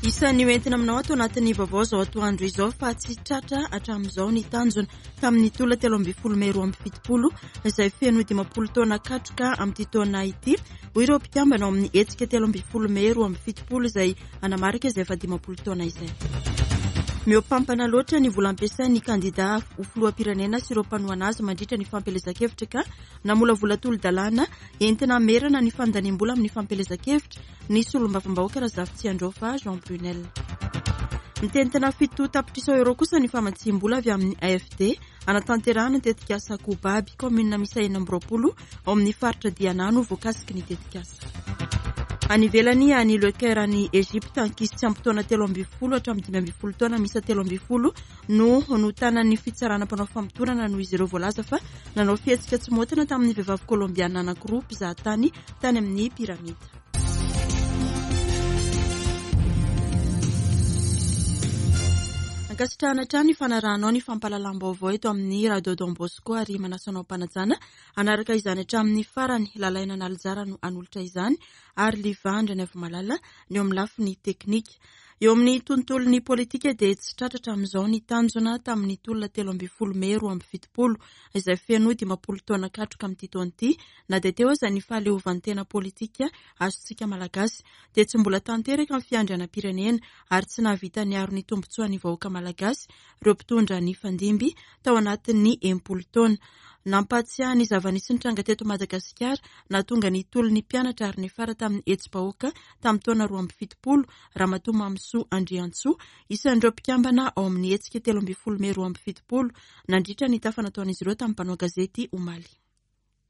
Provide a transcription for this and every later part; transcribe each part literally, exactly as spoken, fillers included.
Isan'ny hoentina aminao ato anatin'ny vaovao izao atoandro izao fa tsy tratra hatramin'izao ny tanjona tamin'ny tolona telo ambin'ny folo mey roa amby fitopolo izay feno dimampolo taona katroka amin'ity taona ity, hoy ireo mpikambana ao amin'ny hetsika telo ambin'ny folo mey roa amby fitopolo izay hanamarika izay efa dimampolo taona izay. Mihoampampana loatra ny vola ampiasain'ny kandida ho filoham-pirenena sy ireo mpanohana azy mandritra ny fampielezan-kevitra ka namolavola tolo-dalàna entina hamerana ny fandaniam-bola amin'ny fampielezan-kevitra ny solombavambahoaka Razafitsiandraofa Jean Brunel. Mitentina fito tapitrisa euro kosa ny famatsiam-bola avy amin'ny A F D hanatanterahana ny tetikasa Kobaby, kaominina miisa enina amby roapolo ao amin'ny faritra Diana no voakasiky ny tetikasa. Any ivelany, any Le Caire any Egypte, ankizy tsy ampy taona telo ambin'ny folo hatramin'ny dimy ambin'ny folo taona miisa telo ambin'ny folo no notanan'ny fitsarana mpanao famotorana noho izy ireo voalaza fa nanao fihetsika tsy maotina tamin'ny vehivavy kolombiana anankiroa mpizahatany tany amin'ny piramida. Ankasitrahana hatrany ny fanarahanao ny fampahalalam-baovao eto amin'ny Radio Don Bosco ary manasa anao am-panajana hanaraka izany hatramin'ny farany. Lalaina Analijara no hanolotra izany ary Livandra ny Avomalala ny eo amin'ny lafiny teknika. Eo amin'ny tontolon'ny politika dia tsy tratra hatramin'izao ny tanjona tamin'ny tolona telo ambin'ny folo mey roa amby fitopolo izay feno dimampolo taona katroka amin'ity taona ity. Na dia teo aza ny fahaleovantena politika azontsika malagasy dia tsy mbola tanteraka ny fiandrianam-pirenena ary tsy nahavita niaro ny tombontsoan'ny vahoaka malagasy ireo mpitondra ny fandimby tao anatin'ny enimpolo taona. Nampahatsiahy ny zava-nisy nitranga teto Madagasikara nahatonga ny tolon'ny mpianatra ary niafara tamin'ny hetsi-bahoaka tamin'ny taona roa amby fitopolo Ramatoa Mamisoa Andriantsoa, isan'ireo mpikambana ao amin'ny hetsika telo ambin'ny folo mey roa amby fitopolo nandritra ny tafa nataon'izy ireo tamin'ny mpanao gazety omaly.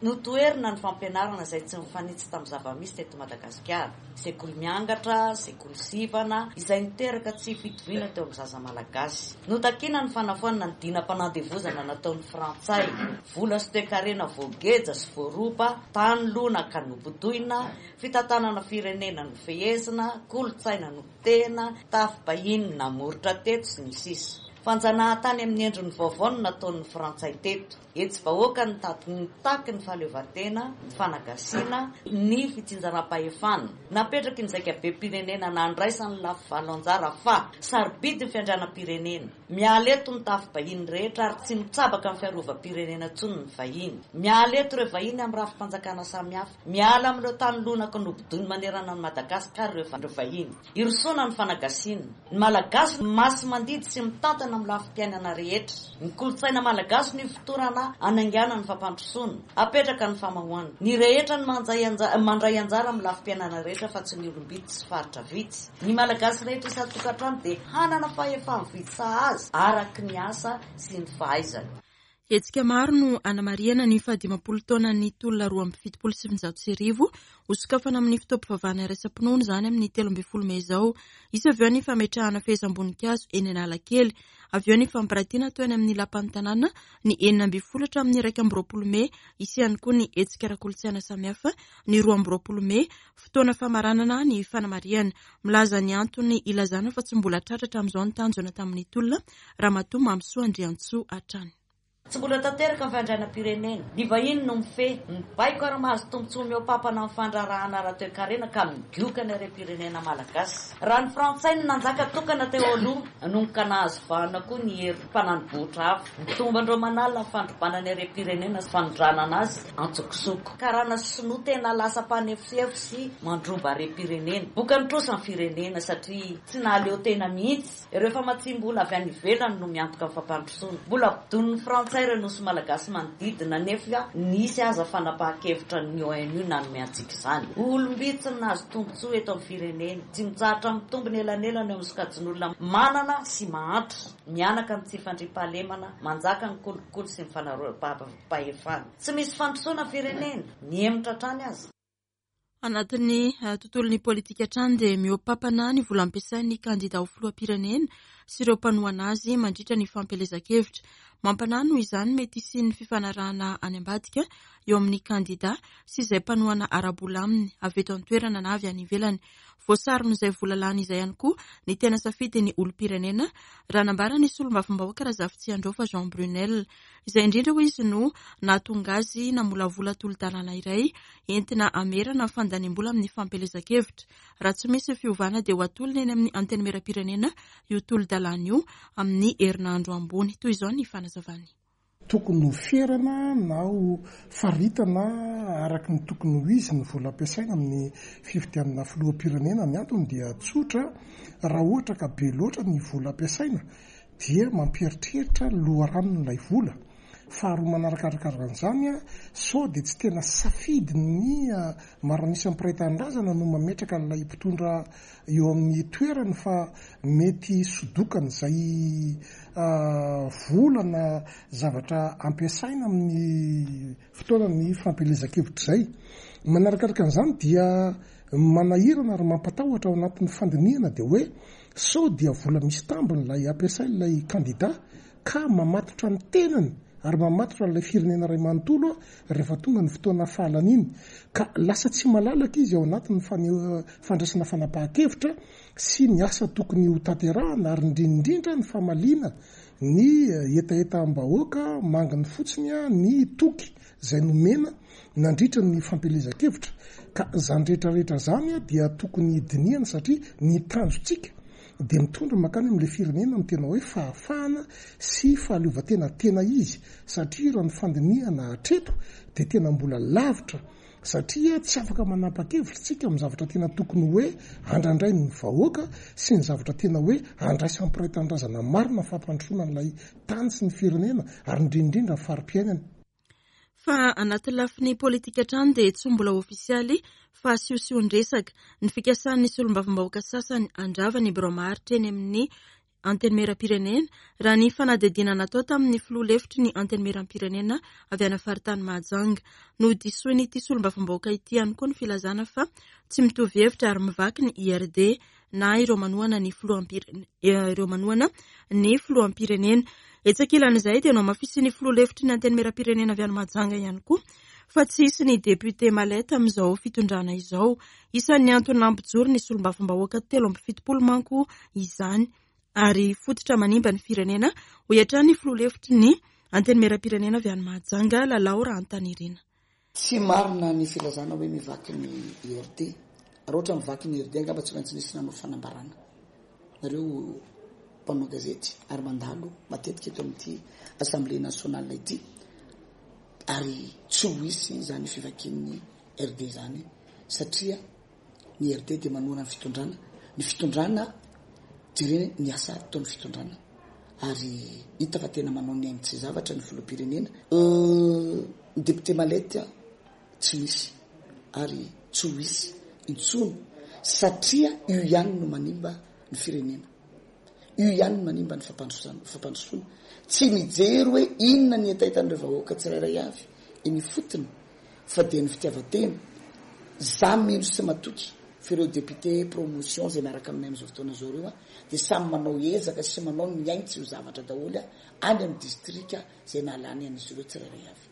Notoherina ny fampianarana izay tsy mifanitsy tamin'ny zava-misy teto Madagasikara. Sekoly miangatra, sekoly sivana, izay niteraka tsy fitoviana teo amin'ny zaza malagasy. Notakina ny fanafoanana ny dinam-panandevozana nataon'ny Frantsay. Vola sy toekarena voageja sy voaroba, tany lonaka nobodoina, fitantanana firenena nofehezina, kolontsaina nopotehina, tafim-bahiny namoritra teto sy ny sisa. Fanjanahantany amin'ny endriny vaovao no nataon'ny Frantsay teto. Hetsi-bahoaka nitaky nitaky ny fahaleovantena, ny fanagasiana, ny fitsinjaram-pahefana. Napetraky ny zaikabe-pirenena nandraisan'ny lafy valo anjara fa sarobidy ny fiandrianam-pirenena. Miala eto ny tafim-bahiny rehetra ary tsy mitsabaka amin'ny fiarovam-pirenena intsony ny vahiny. Miala eto ireo vahiny amin'ny rafi-panjakana samihafa. Miala amin'ireo tany lonaka nobodoiny manerana an'i Madagasikara ireo vahiny. Hirosoana ny fanagasiana. Ny Malagasy masi-mandidy sy mitantana amin'ny lafim-piainana rehetra. Ny kolontsaina malagasy no ifotorana hanaingana ny fampandrosoana. Apetraka ny famahoana. Ny rehetra no mandray anja-, mandray anjara amin'ny lafim-piainana rehetra fa tsy ny olom-bitsy sy faritra vitsy. Ny Malagasy rehetra isan-tokantrano dia hanana fahefa-mividy sahaza araka ny asa sy ny fahaizany. Hetsika maro no anamarihana ny fahadimampolo taonan'ny tolona roa amby fitopolo sy sivinjato sy arivo hosokafana amin'ny fotoam-pivavahana iraisam-pinoana izany amin'ny telo ambin'ny folo mey izao. Hisy avy eo ny fametrahana fehezam-boninkazo eny Analakely. Avy eo ny fampiratiana atao eny amin'ny lapan'ny tanàna ny enina ambin'ny folo hatramin'ny iraika amby roapolo mey. Hisy ihany koa ny hetsika ara-kolontsaina samihafa ny roa amby roapolo mey, fotoana famaranana ny fanamarihana. Milaza ny antony ilazana fa tsy mbola tratra hatramin'izao ny tanjona tamin'ny tolona Ramatoa Mamisoa Andriantsoa hatrany. Tsy mbola tanteraka ny fiandrianam-pirenena. Ny vahiny no mifehy, mibaiko ary mahazo tombontsoa mihoa-pampana amin'ny fandraharahana ara-toekarena ka migoka ny harem-pirenena malagasy. Raha ny Frantsay no nanjaka tokana teo aloha, nanomboka nahazo vahana koa ny hery mpananibohitra hafa. Mitombo andro aman'alina ny fandrobana ny harem-pirenena sy fanondranana azy antsokosoko. Karana sy sinoa tena lasa mpanefoefo sy mandroba harem-pirenena. Boka ny trosa ny firenena satria tsy nahaleo tena mihitsy. Ireo famatsiam-bola avy any ivelany no miantoka ny fampandrosoana. Mbola ampidonin'ny Frantsay ireo nosy malagasy manodidina nefa nisy aza fanapahan-kevitra ny O N U nanome antsika izany. Olom-bitsy no nahazo tombontsoa eto amin'ny firenena. Tsy mitsahatra mitombo ny elanelana eo amin'ny sokajin'olona manana sy mahantra. Mianaka ny tsy fandriampahalemana, manjaka ny kolikoly sy ny fanaroam-pahefana. Tsy misy fandrosoana firenena, mihemotra hatrany aza. Anatin'ny, eh, tontolon'ny politika hatrany dia mihoa-pampana ny vola ampiasain'ny kandida ho filoham-pirenena sy ireo mpanohana azy mandritra ny fampielezan-kevitra. Mampanahy noho izany mety hisian'ny fifanarahana any ambadika eo amin'ny kandida sy izay mpanohana ara-bola aminy avy eto an-toerana na avy any ivelany. Voasaron'izay vola lany izay ihany koa ny tena safidin'ny olom-pirenena, raha nambara ny solombavambahoaka Razafitsiandraofa Jean Brunel. Izay indrindra hoy izy no nahatonga azy namolavola tolo-dalàna iray entina hamerana ny fandaniam-bola amin'ny fampielezan-kevitra. Raha tsy misy fiovana dia ho atolony eny amin'ny Antenimierampirenena io tolo-dalàna io amin'ny herinandro ambony. Toy izao ny fanazavany. Tokony ho ferana na ho faritana araka ny tokony ho izy ny vola ampiasaina amin'ny fifidianana filoham-pirenena. Ny antony dia tsotra, raha ohatra ka be loatra ny vola ampiasaina dia mampieritreritra loharanon'ilay vola. Faharoa manarakaraka an'izany, sao dia tsy tena safidin'ny maro an'isa mpiray tanindrazana no mametraka an'ilay mpitondra eo amin'ny toerany, fa mety sodokan'izay vola na zavatra ampiasaina amin'ny fotoanan'ny fampielezan-kevitra izay. Manarakaraka an'izany dia manahirana ary mampatahotra ao anatin'ny fandinihana dia hoe sao dia vola misy tambiny ilay ampiasain'ilay kandida ka mamatotra ny tenany ary mamatotra ilay firenena iray manontolo rehefa tonga ny fotoana fahalaniny, ka lasa tsy malalaka izy ao anatin'ny fandraisana fanapahan-kevitra sy ny asa tokony ho tanterahana, ary indrindra ny famaliana ny hetahetam-bahoaka manginy fotsiny ny toky izay nomena nandritra ny fampielezan-kevitra. Ka izany rehetrarehetra izany dia tokony dinihana, satria ny tanjontsika dia mitondra mankany amin'ilay firenena amin'ny tena hoe fahafahana sy fahaleovantena tena izy, satria raha ny fandinihana hatreto dia tena mbola lavitra, satria tsy afaka manapa-kevitra isika amin'ny zavatra tena tokony hoe andrandrain'ny vahoaka sy ny zavatra tena hoe andraisan'ny mpiray tanindrazana marina fampandrosoana an'ilay tany sy ny firenena ary indrindra ny fari-piainana. Fa anaty lafiny politika hatrany dia tsy mbola ofisialy fa siosion-dresaka ny fikasan'ny solombavambahoaka sasany handrava ny birao maharitra eny amin'ny Antenimierampirenena, raha ny fanadihadiana natao tamin'ny filoha lefitry ny Antenimierampirenena avy any faritany Mahajanga. Nodisoin'ity solombavambahoaka ity ihany koa ny filazana fa tsy mitovy hevitra ary mivaky ny I R D na ireo manohana ny filoham-pirenena, ireo manohana ny filoham-pirenena. Etsy ankilan'izay dia nohamafisin'ny filoha lefitry ny Antenimierampirenena avy any Mahajanga ihany koa fa tsy hisy ny député malette amin'izao fitondrana izao. Isan'ny antony nampijoro ny solombavambahoaka telo amby fitopolo manko izany ary fototra manimba ny firenena, hoy hatrany ny filoha lefitry ny Antenimierampirenena avy any Mahajanga, Lalao Rahantanirina. Tsy marina ny filazana hoe mivaky ny I R D. Raha ohatra mivaky ny I R D angamba tsy maintsy nisy nanao fanambarana. Nareo mpanao gazety ary mandalo matetika eto amin'ity Assemblée nationale ity, ary tsy ho hisy izany fivakian'ny R D izany, satria ny R D dia manohana ny fitondrana. Ny fitondrana jerena ny asa ataon'ny fitondrana, ary hita fa tena manao ny ainy tsy zavatra ny filoham-pirenena. Ny député malette tsy misy ary tsy ho hisy intsony, satria io ihany no manimba ny firenena, io ihany no manimba ny fampandrosoana, fampandrosoana. Tsy mijery hoe inona ny hetahetan'ireo vahoaka tsirairay avy eny ifotony, fa dia ny fitiavan-tena. Za mino sy matoky fa ireo député promotion izay miaraka aminay amin'izao fotoana izao ireo dia samy manao ezaka sy manao ny ainy tsy ho zavatra daholo any amin'ny distrika izay nahalany an'izy ireo tsirairay avy.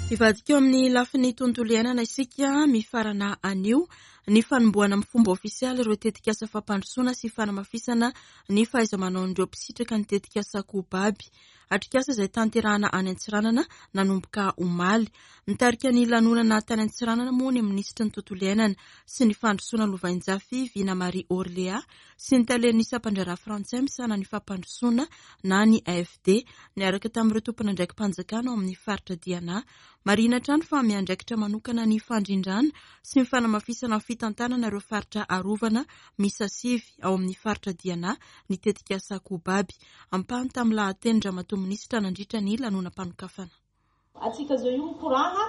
Hivadika eo amin'ny lafiny tontolo iainana isika. Mifarana anio ny fanombohana amin'ny fomba ofisialy ireo tetikasa fampandrosoana sy fanamafisana ny fahaiza-manaon'ireo mpisitraka ny tetikasa Kobaby. Atrikasa izay tanterahana any Antsiranana nanomboka omaly. Nitarika ny lanonana tany Antsiranana moa ny minisitry ny tontolo iainana sy ny fandrosoana Lovainjafy Vina Marie Orléa sy ny talen'ny sampan-draharaha frantsay misahana ny fampandrosoana na ny A F D niaraka tamin'ireo tompon'andraiki-panjakana ao amin'ny faritra Diana. Marihina hatrany fa miandraikitra manokana ny fandrindrana sy ny fanamafisana ny fitantanana ireo faritra arovana miisa sivy ao amin'ny faritra Diana ny tetikasa Kobaby. Ampahany tamin'ny lahateny-dRamatoa minisitra nandritra ny lanonam-panokafana. Atsika zao io mikorana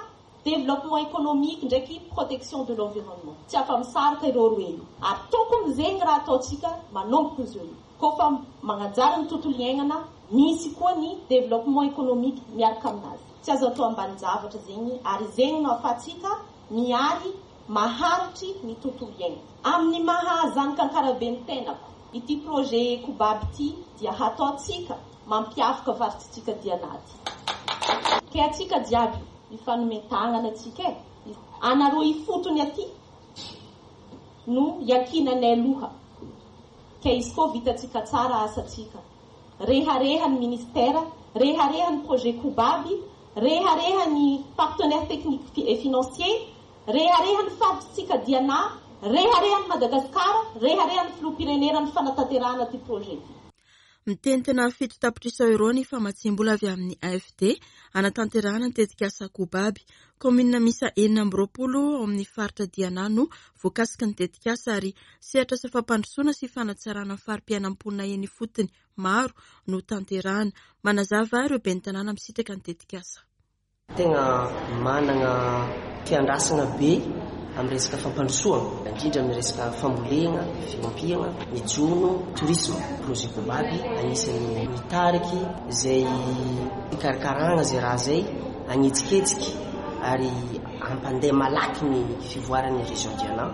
développement économique ndraiky protection de l'environnement. Tsy afa-misaraka ireo roe io. Ary tokony zegny raha ataontsika manomboka izy io. Koa fa magnajary ny tontolo iainana, misy koa ny développement économique miaraka aminazy. Tsy azo atao ambanin-javatra zegny, ary zegny no ahafahantsika miary maharitry ny tontolo iainana. Amin'ny maha zanaka Ankarabe ny tenako, ity projet Kobaby ity dia hataontsika mampiavaka faritsitsika Diana ty. Ke atsika jiaby Ifanomen-tanana atsika e. Anareo ifotony aty no iankinanay loha. Ka izy koa vitatsika tsara asatsika. Rehareha ny ministera, rehareha ny projet Kobaby, rehareha ny partenaire technique et financier, rehareha ny faritsika Diana, rehareha ny Madagasikara, rehareha ny filoham-pirenena ny fanatanterahana ty projet ty. Mitentina fito tapitrisa euro ny famatsiam-bola avy amin'ny A F D anatanterahana ny tetikasa Kobaby. Kaominina miisa enina amby roapolo ao amin'ny faritra Diana no voakasiky ny tetikasa, ary sehatra asa fampandrosoana sy fanatsarana ny fari-piainam-ponina eny ifotony maro no tanterahana. Manazava ireo ben'ny tanàna misitraka ny tetikasa. Tegna manana fiandrasana be amin'ny resaka fampandrosoana, indrindra amin'ny resaka fambolena, fiompiana, ny jono, tourisme. Projet Kobaby anisan'ny mitariky zay fikarakarana zay raha zay anetsiketsika ary ampandeha malaky ny fivoaran'ny région Diana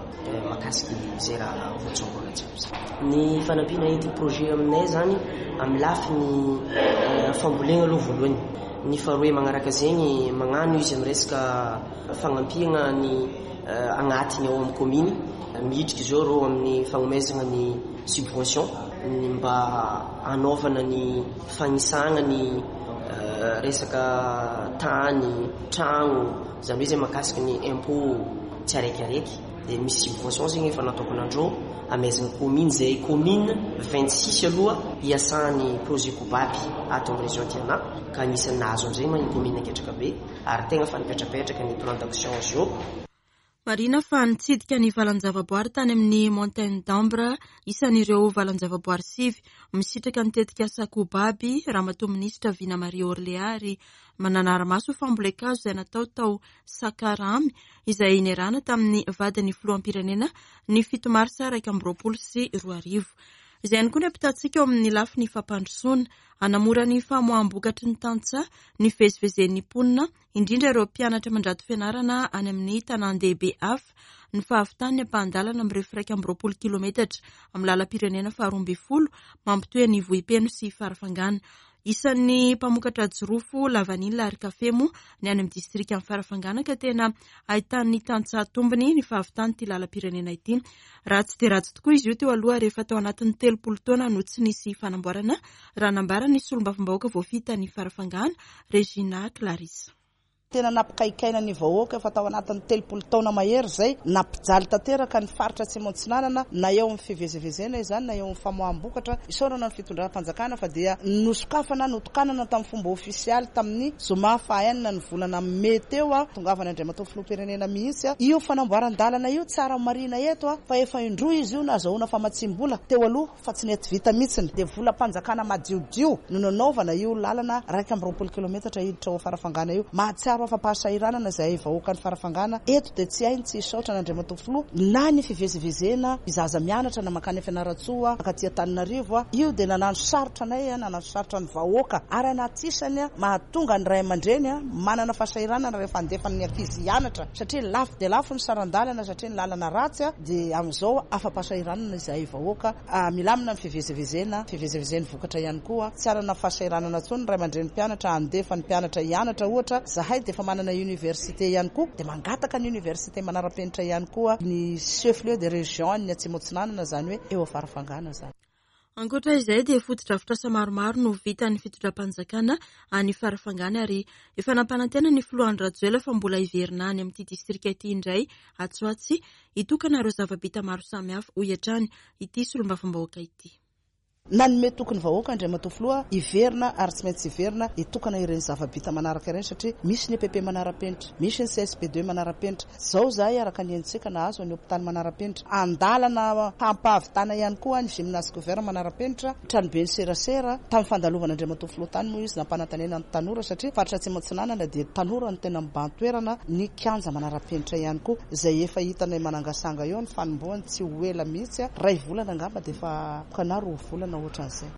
mahakasiky zay raha voatsongona jiaby zay. Ny fanampiana ity projet aminay zany amin'ny lafiny fambolena aloha voalohany, ny faharoe magnaraka zegny magnano izy amin'ny resaka fagnampiana ny agnatiny ao amin'ny commune midriky zao reo amin'ny fagnomezana ny subvention ny mba anaovana ny fanisana ny resaka tany, tragno, zany hoe zay mahakasiky ny impôt tsy araikiaraiky, de misy subvention zegny efa nataoko nandreo amezana commune zay commune vingt six aloha hiasan'ny projet Kobaby ato amin'ny région Diana, ka anisan'ny nahazo amizay ma ny commune Anketrakabe ary tegna fa nipetrapetraka ny plan d'action azy io. Marina fa nitsidika ny valan-javaboary tany amin'ny Montagne d'Ambre, isan'ireo valan-javaboary sivy misitraka ny tetikasa Kobaby, Ramatoa Minisitra Vina Marie Orléa, ary mananara-maso fambolen-kazo izay natao tao Sakaramy, izay niarahana tamin'ny vadin'ny filoham-pirenena ny fito marsa raika amby roapolo sy roa arivo. Izay ihany koa ny ampitantsika eo amin'ny lafiny fampandrosoana. Hanamora ny famoaham-bokatry ny tantsaha ny fivezivezen'ny mponina, indrindra ireo mpianatra mandrato fianarana any amin'ny tanàn-dehibe hafa, ny fahavitan'ny ampahan-dalana mirefy iraika amby roapolo kilometatra amin'ny lalam-pirenena faharoa ambin'ny folo mampitohy ny Vohipeno sy Farafangana. Isan'ny mpamokatra jirofo, lavanila ary kafe moa ny any amin'ny distrika amin'ny Farafangana, ka tena ahitan'ny tantsaha tombony ny fahavitan'ity lalam-pirenena ity. Ratsy dia ratsy tokoa izy io teo aloha, rehefa tao anatin'ny telopolo taona no tsy nisy fanamboarana, raha nambara ny solombavambahoaka voafidy ny Farafangana, Regina Clarisse. Tena nampikaikaina ny vahoaka efa tao anatin'ny telopolo taona mahery zay, nampijaly tanteraka ny faritra Atsimo Atsinanana, na eo amin'ny fivezivezena izany na eo amin'ny famoaham-bokatra. Isaorana ny fitondram-panjakana fa dia nosokafana, notokanana tamin'ny fomba ofisialy tamin'ny zoma fahaenina ny volana mey teo a tongavana Andriamatoa filoham-pirenena mihitsy a io fanamboaran-dalana io. Tsara marina eto a fa efa indroa izy io nahazahoana famatsim-bola teo aloha fa tsy nety vita mihitsiny, dia volam-panjakana madiodio no nanaovana io lalana raika amby roapolo kilometatra hiditra ao Farafangana io. Mahatsiaro afa-pahasahiranana izay vahoaka ny Farafangana eto, dia tsy hainy tsy hisaotra an'Andriamatoa Filoha. Na ny fivezivezena izaza mianatra na mankany Fianarantsoa mankaty Antananarivo a io dia nanano sarotra anay a nanano sarotra ny vahoaka, ary anatisany a mahatonga ny ray aman-dreny a manana fahasahiranana rehefa andefa ny ankizy hianatra, satria lafo dia lafo ny saran-dalana, satria ny lalana ratsy a dia amin'izao afa-pahasahiranana izahay vahoaka, milamina ny fivezivezena, fivezivezen'ny vokatra ihany koa, tsy arana fahasahiranana intsony ny ray aman-dreny mpianatra andefa ny mpianatra hianatra. Ohatra zahay dia efa manana université ihany koa, dia mangataka ny université manara-penitra ihany koa ny chef lieu de région ny Atsimo Atsinanana, zany hoe eo Farafangana zany. Ankoatra izay dia fotodrafitrasa maromaro no vitan'ny fitondram-panjakana any Farafangana, ary efa nampanantena ny filoha Andry Rajoelina fa mbola hiverina any amin'ity distrika ity indray atsy ho atsy hitokana ireo zava-bita maro samihafa, hoy hatrany ity solombavambahoaka ity. Nanome tokony vahoaka Andriamatoa Filoha hiverina, ary tsy maintsy hiverina hitokana ireny zava-bita manaraka ireny, satria misy ny E P P manara-penitra, misy ny C S P deux manara-penitra zao zahay, araka ny entsika nahazo ny hôpitaly manara-penitra, andalana hampahavitana ihany koa ny gymnase couvert manara-penitra, tranobe ny serasera. Tamin'ny fandalovana Andriamatoa Filoha tany moa izy nampanantanena ny tanora, satria faritra Atsimo Atsinanana dia tanora ny tena mibahan-toerana, ny kianja manara-penitra ihany koa izay efa hitanay manangasanga eo ny fanombohany, tsy ho ela mihitsy, ray volana angamba dia efa kana roa volana ohatran'izay.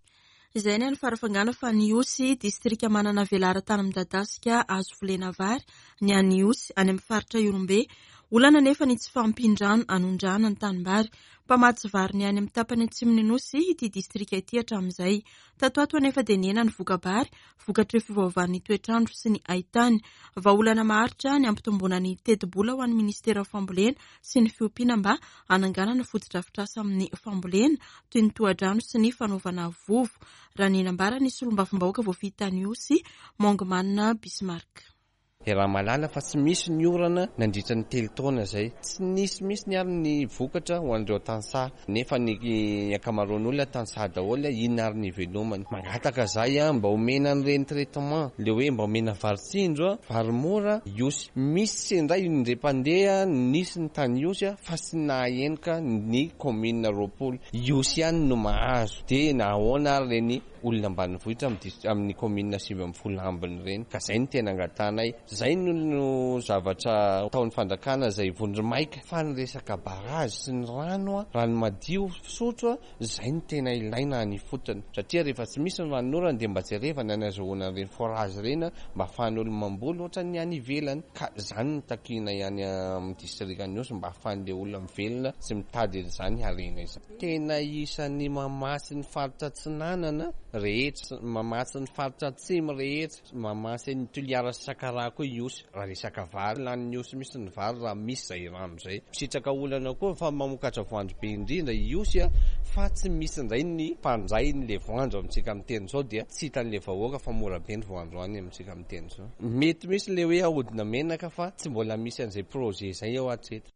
Izay ny any Farafangana, fa ny Ihosy, distrika manana velaran-tany midadasika azo volena vary ny any Ihosy any amin'ny faritra Ihorombe. Olana nefa ny tsy fahampian-drano anondrahana ny tanimbary. Mpamatsy vary ny any amin'ny tapany atsimon'ny Nosy ity distrika ity hatramin'izay. Tato ato anefa dia nihena ny voka-bary vokatry ny fiovaovan'ny toetrandro sy ny haitany. Vahaolana maharitra ny hampitomboana ny tetibola ho an'ny ministeran'ny fambolena sy ny fiompiana mba hananganana fotodrafitrasa amin'ny fambolena toy ny tohadrano sy ny fanaovana vovo, raha ny nambaran'ny solombavambahoaka voafidy tany Ihosy, Mongomana Bismarck. Raha malala fa tsy misy ny orana nandritra ny telo taona izay, tsy nisy misy ny ary ny vokatra ho an'ireo tantsaha, nefa ny ankamaroan'olona tantsaha daholo, inona ary ny velomany. Mangataka zay a mba omena an'ireny traitement, le hoe mba omena vary tsindro, vary mora Ihosy. Misy indray indray mpandeha nisy ny tany Ihosy fa tsy nahenoka ny commune roapolo. Ihosy ihany no mahazo, dia nahoana ary ireny olona ambanivohitra amin'ny commune sivy ambin'ny folo ambiny ireny. Ka zay no tena angatanay. Zay no zavatra ataon'ny fanjakana izay vondromaika, fa ny resaka barazy sy ny rano, rano madio fisotro, zay no tena ilaina any ifotony. Satria rehefa tsy misy ny ranonorana dia mba jerevana ny azahoana an'ireny forage ireny mba ahafahan'olo mamboly ohatran'ny any ivelany. Ka zany no takiana ihany amin'ny distrikan'i Ihosy mba ahafahan'ilay olona mivelona sy mitady an'izany harena izany. Tena isan'ny mamatsy ny faritra Atsinanana rehetra, mamatsy ny faritra Atsimo rehetra, mamatsy ny Toliara sy Sakaraha koa Ihosy. Raha resaka vary, lanin'ny Ihosy misy ny vary raha misy izay rano izay. Misitraka olana koa fa mamokatra voanjo be indrindra Ihosy, fa tsy misy indray ny mpandray n'ilay voanjo amintsika miteny izao, dia tsy hitan'ilay vahoaka fa mora be ny voanjo any amintsika miteny izao. Mety misy ilay hoe ahodina menaka fa tsy mbola misy an'izay projet izay ao hatreto.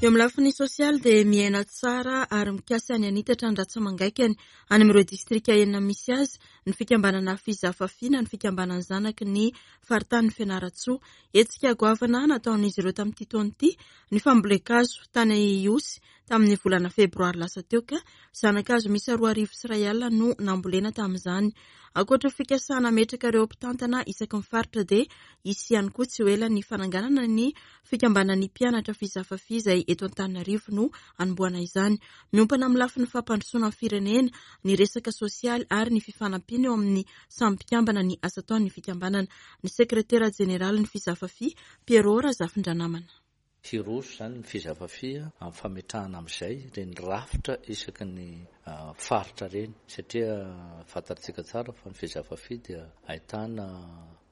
Eo amin'ny lafiny sosialy dia miaina tsara ary mikasa ny hanitatra ny ratsa-mangaikany any amin'ireo distrika enina misy azy ny fikambanana Fizafafi na ny fikambanan'ny zanaky ny faritanin'ny Fianarantsoa. Hetsika goavana nataon'izy ireo tamin'ity taona ity ny fambolen-kazo tany Ihosy tamin'ny volana febroary lasa teo, ka zanakazo miisa roa arivo sy iray alina no nambolena tamin'izany. Ankoatra fikasana hametraka ireo mpitantana isaky ny faritra dia hisy ihany koa tsy ho ela ny fananganana ny fikambanan'ny mpianatra Fizafafi izay eto Antananarivo no hanombohana izany. Miompana amin'ny lafiny fampandrosoana ny firenena, ny resaka sosialy ary ny fifanampiana eo amin'ny samy mpikambana ny asa ataon'ny fikambanana. Ny sekretera jeneralin'ny Fizafafi, Pierrot Razafindranamana. Hiroso izany ny Fizafafi amin'ny fametrahana amin'izay ireny rafitra isaky ny faritra ireny, satria fantatsika tsara fa ny Fizafafi dia ahitana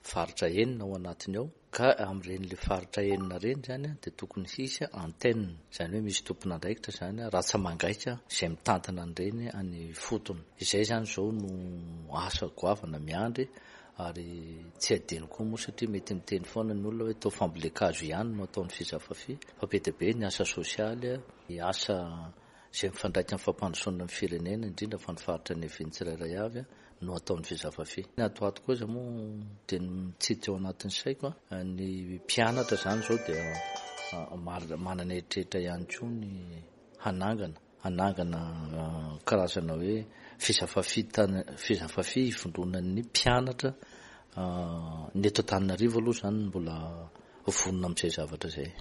faritra enina ao anatiny ao, ka amin'ireny le faritra enina ireny izany dia tokony hisy antenne, izany hoe misy tompon'andraikitra izany ratsa-mangaika izay mitantana an'ireny any ifotony. Izay izany izao no asa goavana miandry, ary tsy adino koa moa satria mety miteny foana ny olona hoe atao fambolen-kazo ihany no ataon'ny Fizafafi, fa be dia be ny asa sosialy, ny asa izay mifandraika amin'ny fampandrosoana ny firenena, indrindra fa ny faritra niavian'ny tsirairay avy no ataon'ny Fizafafi. Ny ato ato koa izay moa dia mitsidika ao anatin'ny saiko, ny mpianatra izany izao dia manana eritreritra ihany koa ny hanangana hanangana karazana hoe Fizafafi tany, Fizafafi ivondronan'ny mpianatra ny eto Antananarivo aloha izany mbola vonona amin'izay zavatra izay.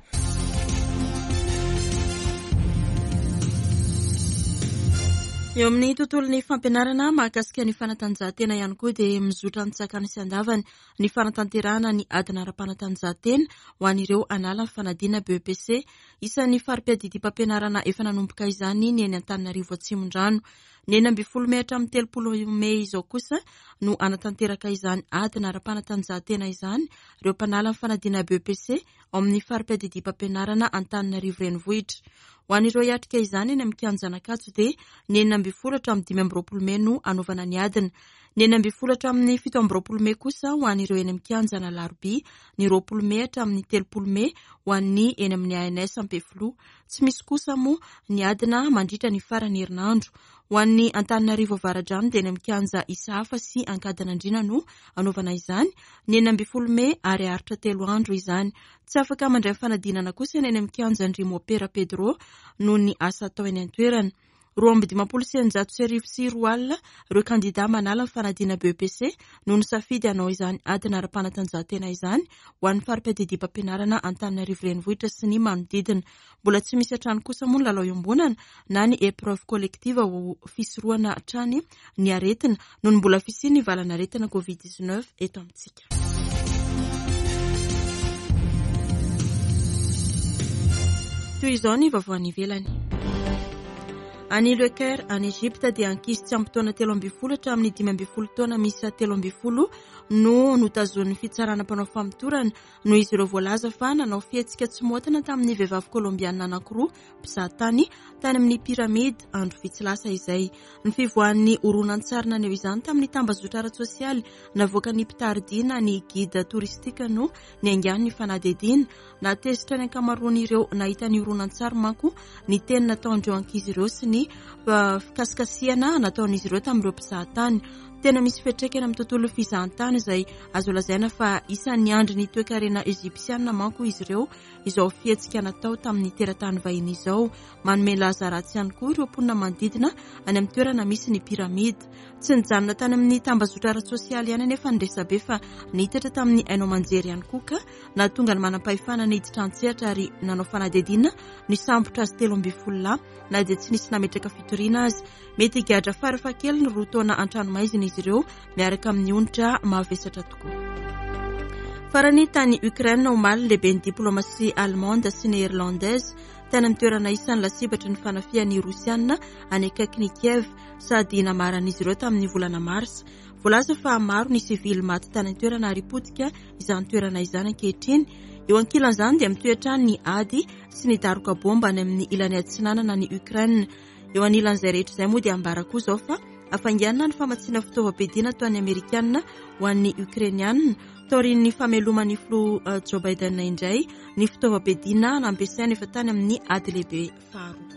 Eo amin'ny tontolon'ny fampianarana mahakasika ny fanatanjahantena ihany koa dia mizotra ny tsakany sy andavany ny fanatanterahana ny adina ara-panatanjahantena ho an'ireo hanala ny fanadina B E P C. Isan'ny fari-piadidiam-pampianarana efa nanomboka izany ny eny Antananarivo Atsimondrano. Ny enina ambin'ny folo mey hatramin'ny telopolo mey izao kosa no hanatanteraka izany adina ara-panatanjahantena izany ireo mpanala ny fanadina B E P C ao amin'ny fari-piadidiam-pampianarana Antananarivo Renivohitra. Ho an'ireo hiatrika izany eny amin'ny kianjan'Ankatso dia ny enina ambin'ny folo hatramin'ny dimy amby roapolo mey no hanaovana ny adina. Ny enina ambin'ny folo hatramin'ny fito amby roapolo mey kosa ho an'ireo eny amin'ny kianjan'Alarobia, ny roapolo mey hatramin'ny telopolo mey ho an'ny eny amin'ny A N S Ampefiloha. Tsy misy kosa moa ny adina mandritra ny faran'ny herinandro. Ho an'ny Antananarivo Avaradrano dia eny amin'ny kianja Isahafa sy Ankadinandriana no hanaovana izany, ny enina ambin'ny folo mey ary haharitra telo andro izany. Tsy afaka mandray fanadinana kosa ny eny amin'ny kianjan-dry Mopera Pedro noho ny asa atao eny an-toerana. Roa amby dimampolo sy eninjato sy arivo sy roa alina ireo kandida manala ny fanadina B E P C no nisafidy hanao izany adina ara-panatanjahantena izany ho an'ny fari-piadidiam-pampianarana Antananarivo Renivohitra sy ny manodidina. Mbola tsy misy hatrany kosa moa ny lalao iombonana na ny épreuve collective ho fisorohana hatrany ny aretina noho ny mbola fisian'ny valan'aretina Covid dix-neuf eto amintsika. Toy izao ny vaovao any ivelany. Any Le Caire, any Egypte, dia ankizy tsy ampy taona telo ambin'ny folo hatramin'ny dimy ambin'ny folo taona miisa telo ambin'ny folo no notazonin'ny fitsarana mpanao famotorana noho izy ireo voalaza fa nanao fihetsika tsy maotina tamin'ny vehivavy kolombianina anankiroa mpizahatany tany amin'ny piramida andro vitsy lasa izay. Ny fivoahan'ny horonantsary naneho izany tamin'ny tambazotra ara-tsosialy navoakan'ny mpitari-dia na ny guide touristique no niaingan'ny fanadihadiana. Nahatezitra ny ankamaroan'ireo nahita ny horonantsary manko ny teny nataon'ireo ankizy ireo sy ny fikasikasihana nataon'izy ireo tamin'ireo mpizahatany. Tena misy fiantraikany amin'ny tontolo fizahantany izay azo lazaina fa isan'ny andry ny toekarena egyptiana manko izy ireo izao fihetsika natao tamin'ny teratany vahiny izao. Manome laza ratsy ihany koa ireo mponina manodidina any amin'ny toerana misy ny piramida. Tsy nijanona tany amin'ny tambazotra ara-tsosialy ihany anefa ny resabe fa nitatra tamin'ny haino aman-jery ihany koa, ka nahatonga ny manam-pahefana niditra an-tsehatra ary nanao fanadihadiana nisambotra azy telo ambin'ny folo lahy na dia tsy nisy nametraka fitoriana azy. Mety higadra farafahakeliny roa taona an-tranomaizina izy ireo miaraka amin'ny onitra mavesatra tokoa. Farany, tany Ukraine omaly, lehibe ny diplomatie allemande sy néerlandaise tany amin'ny toerana isan'ny lasibatry ny fanafihan'ny Rosiana any akaikin'i Kiev sady namaran'izy ireo tamin'ny volana marsa. Voalaza fa maro ny sivily maty tany an-toerana ary potika izany toerana izany ankehitriny. Eo ankilan'izany dia mitohy hatrany ny ady sy ny daroka bomba any amin'ny ilany atsinanana ny Ukraine. Eo anilan'izay rehetra izay moa dia ambara koa izao fa hafainganina ny famatsiana fitaovam-piadiana toa ny Amerikanina ho an'ny Ukrainianina taorian'ny fameloman'ny filoha Joe Biden indray ny fitaovam-piadiana nampiasaina efa tany amin'ny ady lehibe faharoa.